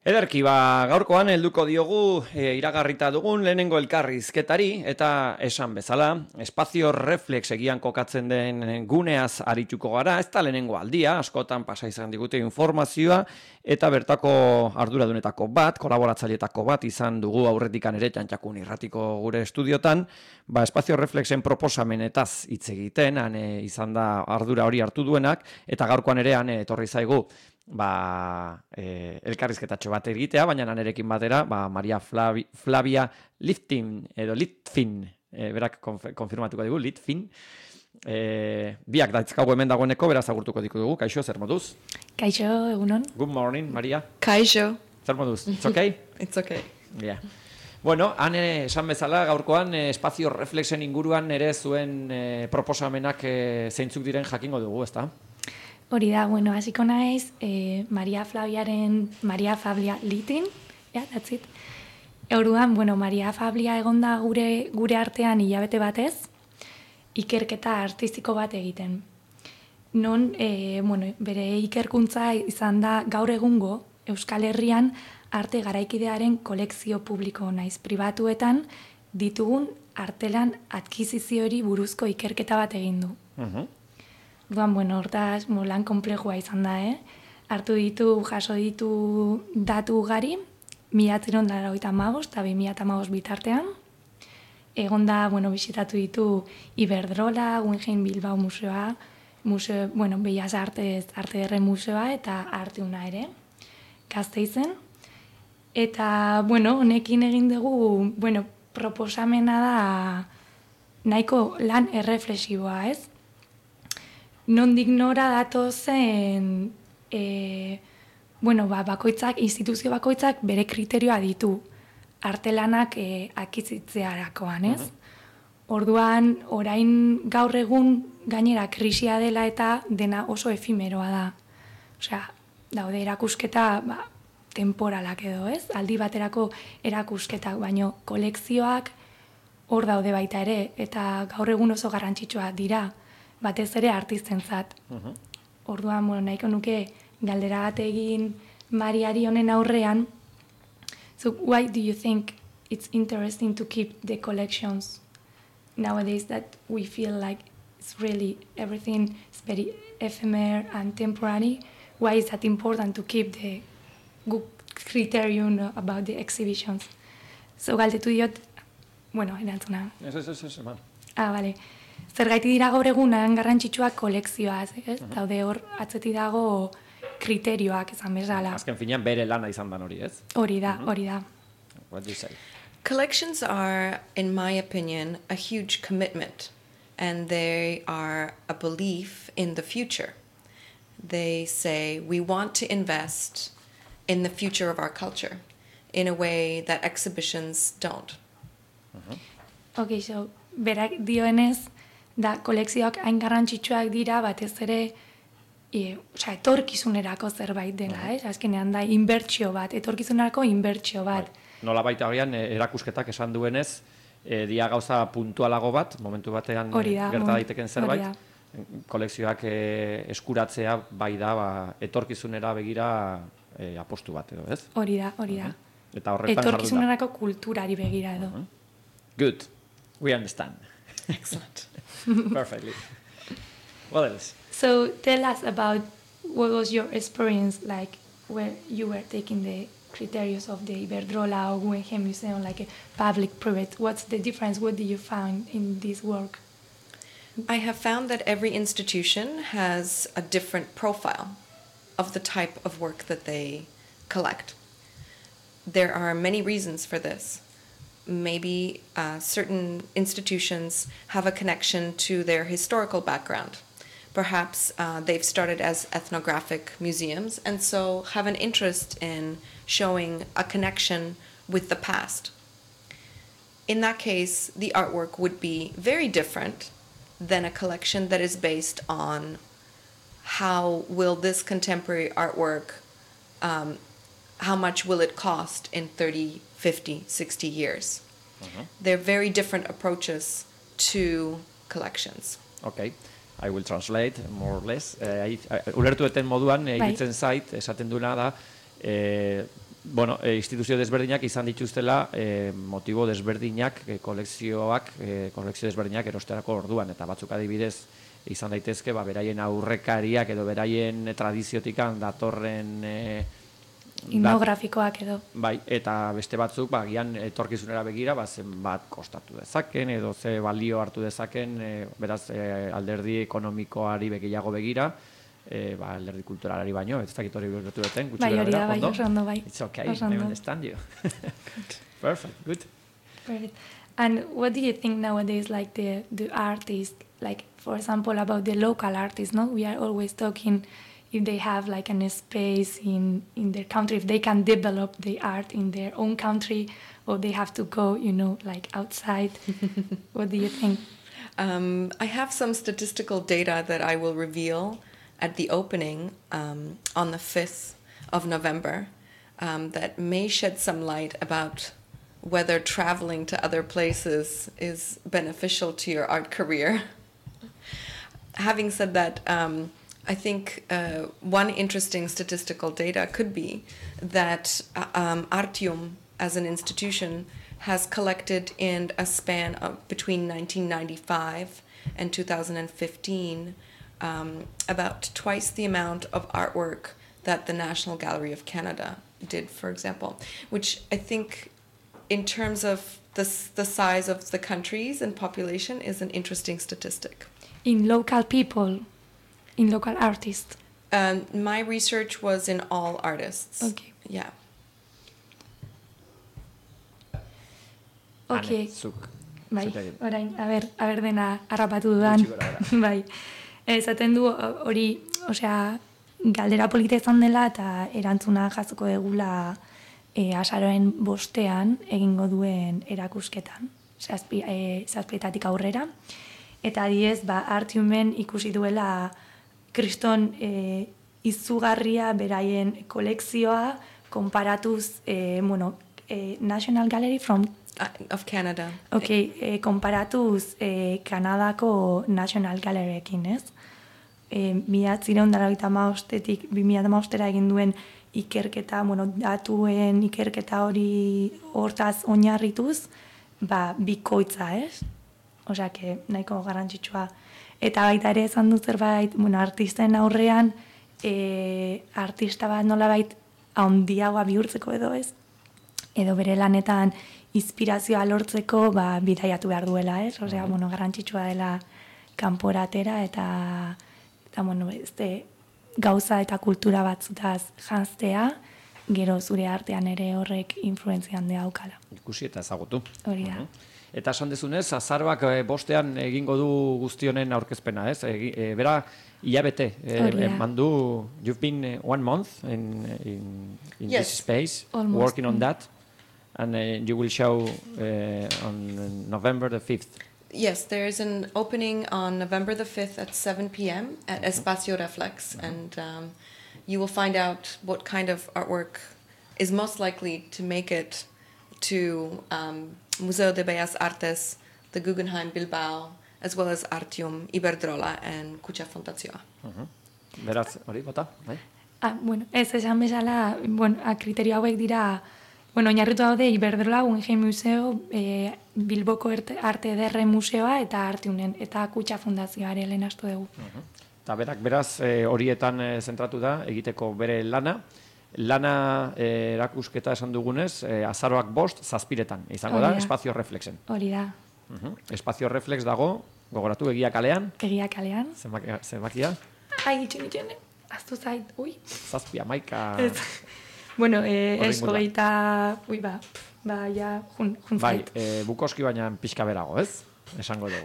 Ederki, gaurkoan helduko diogu iragarrita dugun lehenengo elkarrizketari eta esan bezala, espazio reflex egian kokatzen den guneaz arituko gara, ez da lehenengo aldia, askotan pasa izan digute informazioa eta bertako arduradunetako bat, kolaboratzaileetako bat izan dugu aurretikan ere Txantxakun irratiko gure estudiotan, espazio reflexen proposamenetaz hitz egiten, han izan da ardura hori hartu duenak, eta gaurkoan ere han etorri zaigu elkarrizketatxo bat egitea, baina nanerekin batera, Maria Flavia Litvin, berak konfirmatuko dugu, Litvin, biak daitzkagu hemen dagoeneko, beraz agurtuko dugu. Kaixo, zer moduz? Kaixo, egunon. Good morning, Maria. Kaixo. Zer moduz? It's okay? It's okay. Yeah. Bueno, han esan bezala gaurkoan espazio reflexen inguruan ere zuen proposamenak zeintzuk diren jakingo dugu, ezta? Hori da, bueno, hasiko naiz, Maria Flavia Litin, that's it. Orduan, bueno, Maria Flavia egonda gure artean hilabete batez, ikerketa artistiko bat egiten. Non, bere ikerkuntza izan da gaur egungo Euskal Herrian arte garaikidearen kolekzio publiko naiz pribatuetan ditugun artelan adkiziziori buruzko ikerketa bat egin du. Duan, bueno, hortaz, lan komplejua izan da, jaso ditu datu ugari, 1995 eta 2015 bitartean. Egon da, bueno, bisitatu ditu Iberdrola, Guggenheim Bilbao museoa, Bellas Artes, Arte Ederren museoa eta Arteuna ere, Gasteizen. Eta, bueno, honekin egin dugu, proposamena da nahiko lan erreflexiboa, ez? Nondik nora datozen, bakoitzak, instituzio bakoitzak bere kriterioa ditu artelanak akizitzearakoan, ez? Orduan, orain gaur egun gainera krisia dela eta dena oso efimeroa da. Osea, daude erakusketa temporalak edo, ez? Aldi baterako erakusketak, baino kolekzioak hor daude baita ere, eta gaur egun oso garrantzitsua dira, batez ere artistentzat. Orduan, nahiko nuke galdera bat egin Mariari honen aurrean. So, why do you think it's interesting to keep the collections nowadays that we feel like it's really everything is very ephemeral and temporary? Why is that important to keep the good criterion about the exhibitions? So, galdetu diot, erantzuna. Ez, bale. Zergaiti dira gaur egunan garrantzitsuak kolekzioaz, ez? Daude hor atzeti dago kriterioak esan bezala. Azken finean bere lana izan dan hori, ez? Hori da. What do you say? Collections are, in my opinion, a huge commitment, and they are a belief in the future. They say we want to invest in the future of our culture in a way that exhibitions don't. Okay, so, berak dioenez, da kolekzioak hain garrantzitsuak dira batez ere etorkizunerako zerbait dela, ez? Azkenean da etorkizunerako inbertsio bat. Nola baita horian erakusketak esan duenez, dia gauza puntualago bat, momentu batean gerta daiteken zerbait, kolekzioak eskuratzea bai da etorkizunera begira apostu bat edo, ez? Hori da. Eta horretan etorkizunerako kulturari begira edo. Good, we understand. Excellent. Perfectly. What else? So tell us about what was your experience like where you were taking the criteria of the Iberdrola or Guggenheim Museum, like a public-private. What's the difference? What did you find in this work? I have found that every institution has a different profile of the type of work that they collect. There are many reasons for this. Maybe certain institutions have a connection to their historical background. Perhaps they've started as ethnographic museums and so have an interest in showing a connection with the past. In that case, the artwork would be very different than a collection that is based on how will this contemporary artwork, how much will it cost in 30, 50, 60 years. They're very different approaches to collections. Okay, I will translate more or less. Ulertu eten moduan, iritzen zait, esaten duena da, bueno, instituzio desberdinak izan dituztela motibo desberdinak, kolekzio desberdinak erosterako orduan, eta batzuk adibidez izan daitezke, beraien aurrekariak edo beraien tradiziotikan datorren etnografikoak edo. Bai, eta beste batzuk, gian etorkizunera begira, zenbat kostatu dezaken, edo ze balio hartu dezaken, beraz, alderdi ekonomikoari gehiago begira, alderdi kulturalari baino, ez dakit hori bertu duten, gutxi bai, hori da, ondo? oso ondo, bai. It's okay, I understand you. Perfect, good. Perfect. And what do you think nowadays, like the artists, like for example about the local artists, no? We are always talking if they have like a space in their country, if they can develop the art in their own country, or they have to go, like outside. What do you think? I have some statistical data that I will reveal at the opening on the 5th of November that may shed some light about whether traveling to other places is beneficial to your art career. Having said that, I think one interesting statistical data could be that Artium as an institution has collected in a span of between 1995 and 2015 about twice the amount of artwork that the National Gallery of Canada did, for example, which I think in terms of the size of the countries and population is an interesting statistic. In local people, in local artists? My research was in all artists. Okay. Yeah. Okay. Zuk. Bai, orain, aber dena harrapatu dudan. Bai. Esaten du hori, osea, galdera polita izan dela eta erantzuna jasoko egula azaroen 5ean egingo duen erakusketan, zazpietatik aurrera. Eta adiez, Artiumen ikusi duela kriston izugarria beraien kolekzioa konparatuz, National Gallery of Canada. Okay, konparatuz Kanadako National Galleryekin, ez? 1995-etik 2015-era egin duen ikerketa, datuen ikerketa hori hortaz oinarrituz, bikoitza, ez? Osea, nahiko garrantzitsua. Eta baita ere esan dut zerbait, artisten aurrean, artista bat nolabait handiagoa bihurtzeko edo ez? Edo bere lanetan inspirazioa lortzeko bidaiatu behar duela, ez? Osea, garrantzitsua dela kanporatera eta gauza eta kultura batzutaz janztea, gero zure artean ere horrek influentzia handia daukala. Ikusi eta ezagutu. Hori da. Eta esan dezunez, azaroak 5ean egingo du guztionen aurkezpena, ez? Bera, hilabete, mandu, you've been 1 month in yes, this space, almost. Working on that, and you will show on November the 5th. Yes, there is an opening on November the 5th at 7 p.m. at Espacio Reflex, and you will find out what kind of artwork is most likely to make it to Museo de Bellas Artes, the Guggenheim Bilbao, as well as Artium, Iberdrola, and Kutxa Fundazioa. Beraz, hori, bota? Ez esan bezala, kriterio hauek dira, oinarritu daude Iberdrola, Guggenheim Museo, Bilboko Arte Ederre Museoa eta Artiumen, eta Kutxa Fundazioa ere lehen astu dugu. Eta beraz, horietan zentratu da, egiteko bere lana. Lana erakusketa esan dugunez, azaroak 5, 7 izango da, Espazio Reflexen. Hori da. Espazio Reflex dago, gogoratu, Egia kalean. Egia kalean. Zenbakia? Itxen, aztu zait, ui. 7, 11... Ez, hogeita, ja, jun zait. Bukoski baina pixka berago, ez? Esango dugu.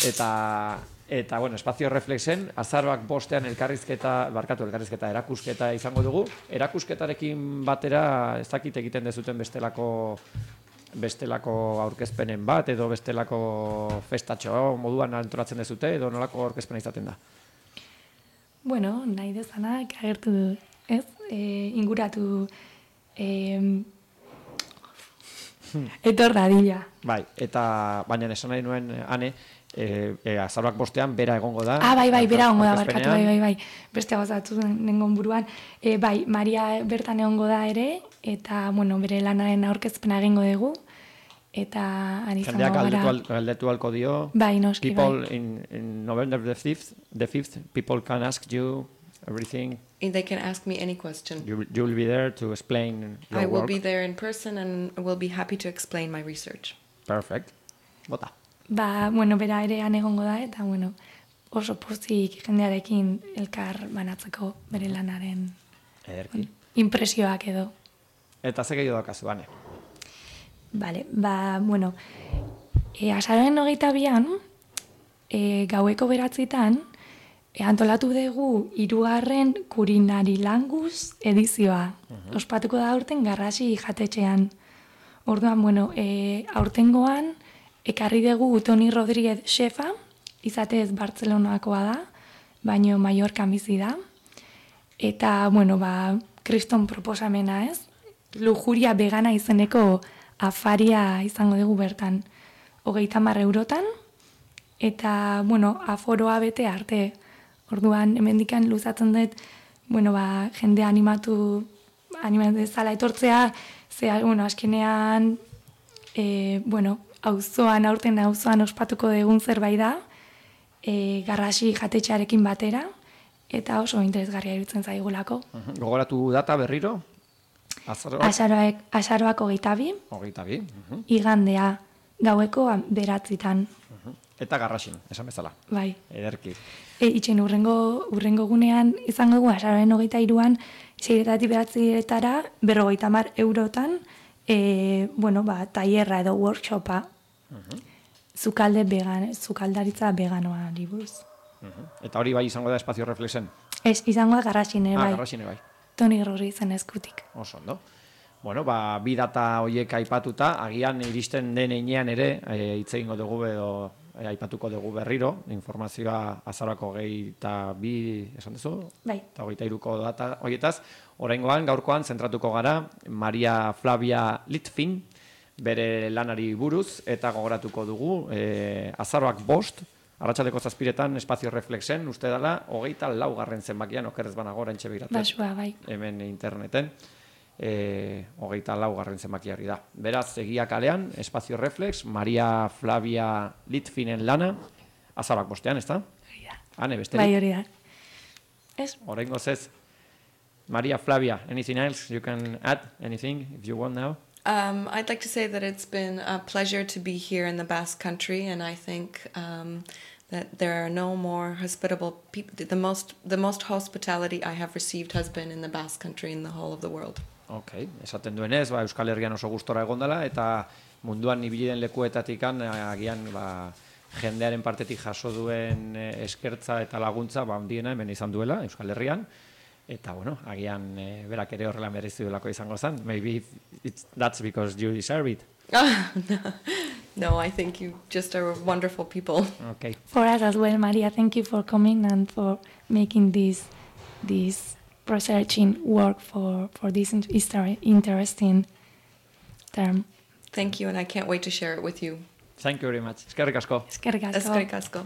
Eta Espazio Reflexen, azaroak 5ean elkarrizketa erakusketa izango dugu. Erakusketarekin batera, ez dakit egiten dezuten bestelako aurkezpenen bat, edo bestelako festatxo moduan antolatzen dezute, edo nolako aurkezpena izaten da? Nahi dezanak agertu, ez? Inguratu etor dadila. Bai, eta baina esan nahi nuen, Ane, azaroak 5ean bera egongo da. Bai, bera egongo da, aurkezpenean. barkatu, bai. Beste gozatu nengon buruan. Bai, Maria bertan egongo da ere, eta, bueno, bere lanaren aurkezpena egingo dugu, eta izango gara. Jendeak galdetu halko dio. Bai, noski, People in November the 5th, people can ask you everything. They can ask me any question. You will be there to explain your I will work. be there in person and will be happy to explain my research. Perfect. Bota. Bueno, bera ere egongo da, eta, bueno, oso pozik jendearekin elkar banatzeko bere lanaren Ederki. impresioak edo. Eta ze gehiago dakazu, bane? Vale, bueno, azaroaren 22an, gaueko 9:00, antolatu dugu 3. Kulinari Langus edizioa. Ospatuko da aurten Garrasi jatetxean. Orduan, bueno, aurtengoan, ekarri dugu Toni Rodríguez Shefa, izatez Bartzelonakoa da, baino Mallorcan bizi da. Eta, bueno, kriston proposamena ez, lujuria vegana izeneko afaria izango dugu bertan. 30 eurotan, eta, bueno, aforoa bete arte. Orduan, hemendikan luzatzen dut, bueno, jende animatu dezala etortzea, bueno, azkenean, bueno, aurten auzoan ospatuko dugun zerbait da, Garrasi jatetxearekin batera, eta oso interesgarria iruditzen zaigulako. Gogoratu data berriro? Azaroak? Azaroak 22. 22. Igandea, gaueko 9:00. Eta Garrasin, esan bezala. Bai. Ederki. Itxen urrengo gunean izango dugu azaroaren 23an, 6:00 50 eurotan, bueno, tailerra edo workshopa. Sukaldaritza veganoa buruz. Eta hori bai izango da Espazio Reflexen? Ez, izango da Garrasine bai. Garrasine bai. Toni Rodríguezen eskutik. Oso ondo. Bueno, bi data horiek aipatuta, agian iristen den heinean ere, hitz egingo dugu edo aipatuko dugu berriro, informazioa azaroako 22, esan duzu? Bai. Eta 23ko data horietaz. Oraingoan, gaurkoan, zentratuko gara, Maria Flavia Litvin, bere lanari buruz, eta gogoratuko dugu, azaroak 5, arratsaldeko 7etan Espazio Reflexen, uste dela, 24. zenbakian, okerrez banago, oraintxe begiratzen. Basua, bai. Hemen interneten. 24. zenbakiari da. Beraz, egia kalean, Espazio Reflex, Maria Flavia Litvinen lana, azaroak 5ean, ez da? Hori da. Hane, besterik? Bai, hori da. Ez? Oraingoz ez. Maria Flavia, anything else you can add? Anything, if you want now? I'd like to say that it's been a pleasure to be here in the Basque Country, and I think that there are no more hospitable people. The most hospitality I have received has been in the Basque Country in the whole of the world. Okay, esaten duenez, Euskal Herrian oso gustora egondala, eta munduan ibili den lekuetatikan, agian, jendearen partetik jaso duen eskertza eta laguntza, handiena hemen izan duela, Euskal Herrian. Eta, bueno, agian berak ere horrela merezi duelako izango zen. Maybe that's because you deserve it. No, I think you just are wonderful people. Okay. For us as well, Maria, thank you for coming and for making this researching work for this interesting term. Thank you, and I can't wait to share it with you. Thank you very much. Eskerrik asko. Eskerrik asko. Eskerrik asko.